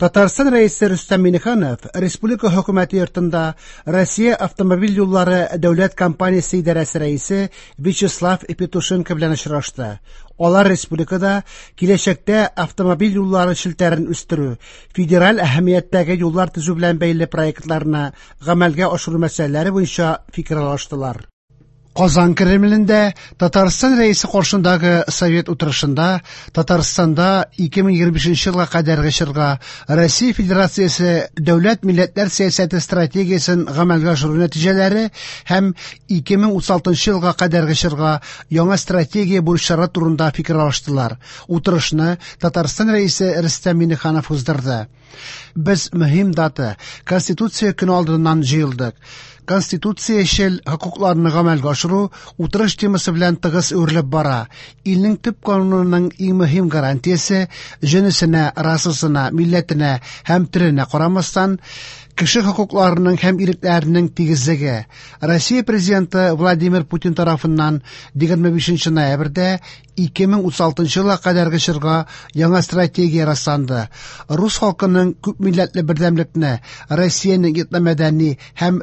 Татарстан Рәисе Рөстәм Миңнеханов республика хөкүмәте йортында Россия автомобиль юллары дәүләт компаниясе идарәсе рәисе Вячеслав Петушенко белән очрашты. Алар республикада киләчәктә автомобиль юллары челтәрен үстерү, федераль әһәмияттәге юллар төзү белән бәйле проектларны гамәлгә ашыру мәсьәләләре буенча фикер алыштылар. Казан Кремлендә Татарстан Рәисе каршындагы Совет утырышында Татарстанда 2025 елга кадәрге чорга Россия Федерациясе дәүләт милләтләр сәясәте стратегиясен гамәлгә ашыру нәтиҗәләре һәм 2036 елга кадәрге чорга яңа стратегия бурычлары турында фикер алыштылар. Утырышны Татарстан Рәисе Рөстәм Миңнеханов уздырды. Без мөһим дата Конституция көне алдыннан җыелдык. Конституциячел хокукларны гамәлгә ашыру утырыш темасы белән тыгыз үрелеп бара. Илнең төп канунының иң мөһим гарантиясе җенесенә, расасына, милләтенә һәм теленә карамастан, кеше хокукларының һәм ирекләренең тигезлеге. Россия президенты Владимир Путин тарафыннан 25 ноябрьдә 2036 елга кадәрге чорга яңа стратегия расланды. Рус халкының күпмилләтле бердәмлекне, Россиянең этномәдәни һәм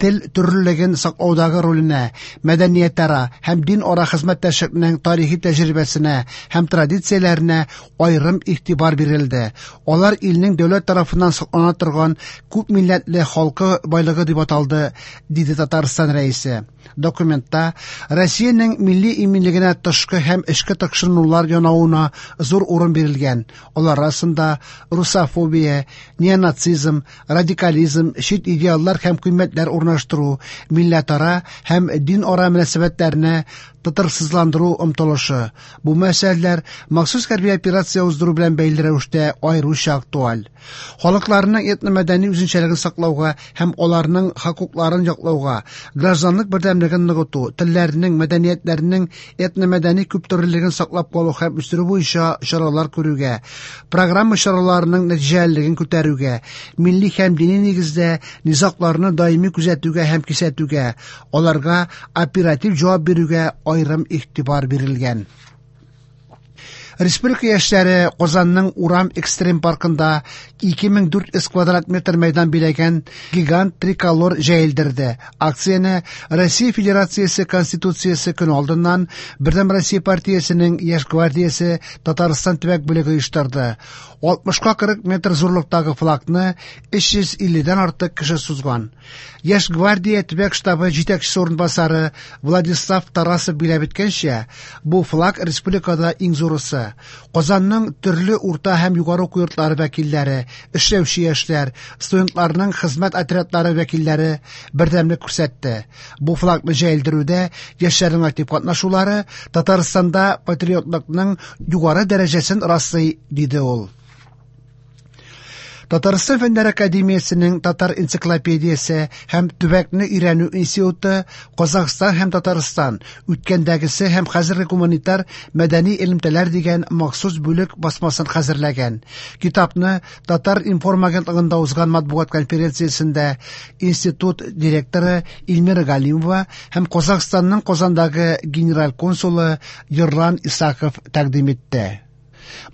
тел төрлелеген саклаудагы роленә, мәдәниятара һәм дин-ара хезмәттәшлекнең тарихи тәҗрибәсенә һәм традицияләренә аерым игътибар бирелде. Алар илнең дәүләт тарафыннан саклана торган күпмилләтле халкы байлыгы дип аталды, диде Татарстан Рәисе. Документта Россиянең милли иминлегенә тышкы һәм эчке тыкшынулар янавына зур урын бирелгән. Алар арасында русофобия, неонацизм, радикализм, чит идеаллар һәм кыйммәтләр урнаштыру, милләтара һәм дин-ара мөнәсәбәтләрне тотрыксызландыру омтылышы. Бу мәсьәләләр махсус хәрби операция уздыру белән бәйле рәвештә аеруча актуаль. Халыкларның этномәдәни үзенчәлеген саклауга һәм аларның хокукларын яклауга, гражданлык бердәмлеген ныгыту, телләренең, мәдәниятләренең этномәдәни күптөрлелеген саклап калу һәм үстерү буенча чаралар күрүгә, программа чараларының нәтиҗәлелеген күтәрүгә, милли һәм дини нигездә низагларны даими күзәтүгә һәм кисәтүгә, аларга оператив җавап бирүгә аерым игътибар бирелгән. Республика яшьләре Казанның Урам экстрим паркында 2400 квадрат метр мәйдан биләгән гигант триколор җәелдерде. Акцияне Россия Федерациясе Конституциясе көне алдыннан Бердәм Россия партиясенең Яшь гвардиясе Татарстан төбәк бүлеге оештырды. 60-ка 40 метр зурлыктагы флагны 350-дән артык кеше сузган. Яшь гвардия төбәк штабы җитәкчесе урынбасары Владислав Тарасов биләп үткәнчә, бу флаг республикада иң зурысы. Казанның төрле урта һәм югары уку йортлары вәкилләре, эшләүче яшьләр, студентларның хезмәт отрядлары вәкилләре бердәмлек күрсәтте. Бу флагны җәелдерүдә яшьләрнең актив катнашулары Татарстанда патриотлыкның югары дәрәҗәсен раслый, диде ул. Татарстан Фәннәр академиясенең Татар энциклопедиясе һәм төбәкне өйрәнү институты Казахстан һәм Татарстан үткәндәгесе һәм хәзерге гуманитар мәдәни элемтәләр дигән махсус бүлек басмасын хәзерләгән. Китапны Татар информ агентлыгында узган матбугат конференциясендә институт директоры Эльмира Галимова һәм Казахстанның Казандагы генераль консулы Ерлан Исаков тәкъдим итте.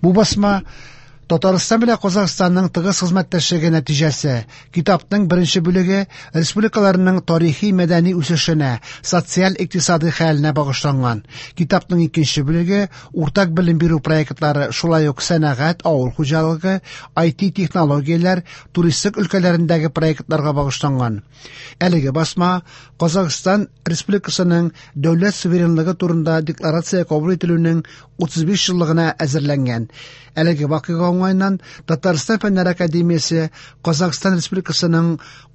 Бу басма Татарстан белән Казахстанның тыгыз хезмәттәшлеге нәтиҗәсе. Китапның беренче бүлеге республикаларның тарихи мәдәни үсешенә, социаль-икътисади хәленә багышланган. Китапның икенче бүлеге уртак белем бирү проектлары, шулай ук сәнәгать, авыл хуҗалыгы, IT технологияләр, туристик өлкәләрендәге проектларга багышланган. Әлеге басма Казахстан Республикасының дәүләт суверенлыгы турында декларация кабул ителүнең 35 еллыгына әзерләнгән. Әлеге вакыйга уңаеннан Татарстан Фәннәр академиясе Казахстан Республикасының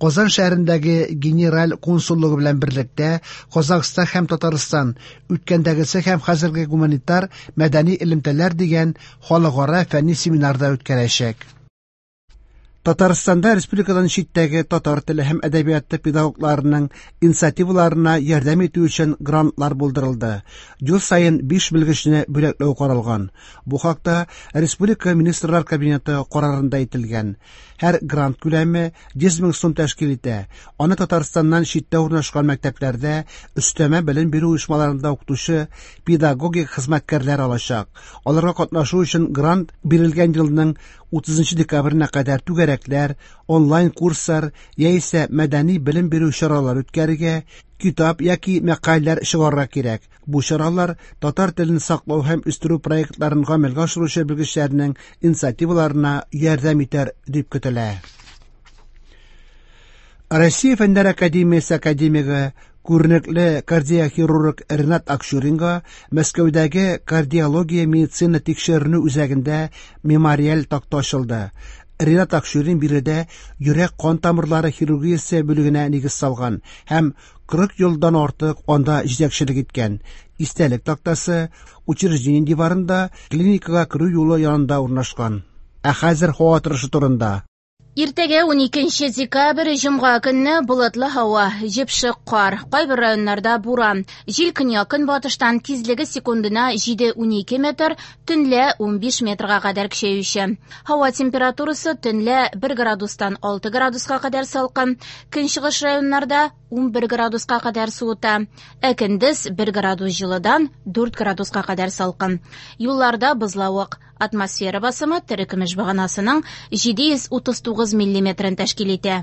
Казан шәһәрендәге генераль консуллыгы белән берлектә Казахстан һәм Татарстан үткәндәгесе һәм хәзерге гуманитар мәдәни элемтәләр дигән халыкара фәнни семинар да үткәрәчәк. Татарстанда республикадан читтәге татар теле һәм әдәбияты педагогларының инициативаларына ярдәм итү өчен грантлар булдырылды. Ел саен 5 белгечне бүләкләү каралган. Бу хакта Республика Министрлар Кабинеты карарында әйтелгән. Һәр грант күләме 100 мең сум тәшкил итә. Аны Татарстаннан читтә урнашкан мәктәпләрдә өстәмә белем бирү оешмаларында укытучы педагогик хезмәткәрләр алачак. Аларга катнашу өчен грант бирелгән елның 30 декабренә кадәр түгәрәкләр, онлайн курслар яисә мәдәни белем бирү чаралары үткәрергә, китап яки мәкаләләр чыгарырга кирәк. Бу чаралар татар телен саклау һәм үстерү проектларын гамәлгә ашыручы белгечләрнең инициативаларына ярдәм итәр дип көтелә. Россия Фәннәр академиясе академигы, күренекле кардиохирург Ренат Акчуринга Мәскәүдәге кардиология медицина тикшеренү үзәгендә мемориаль такта ачылды. Ренат Акчурин биредә йөрәк-кан тамырлары хирургиясе бүлегенә нигез салган һәм 40 елдан артык анда җитәкчелек иткән. Истәлек тактасы учреждение диварында клиникага керү юлы янында урнашкан. Ә хәзер һава торышы турында. Иртәгә 12 декабрь җомга көнне болытлы һава, җепшек кар, кайбер районнарда буран. Җил көньяк-көнбатыштан тизлеге секундына 7-12 метр, төнлә 15 метрга кадәр көчәюче. Һава температурасы төнлә 1 градустан 6 градуска кадәр салкын, көнчыгыш районнарда 11 градуска кадәр суыта, ә көндез 1 градус җылыдан 4 градуска кадәр салкын. Юлларда бозлавык. Атмосфера басымы терекөмеш баганасының 739 миллиметрын тәшкил итә.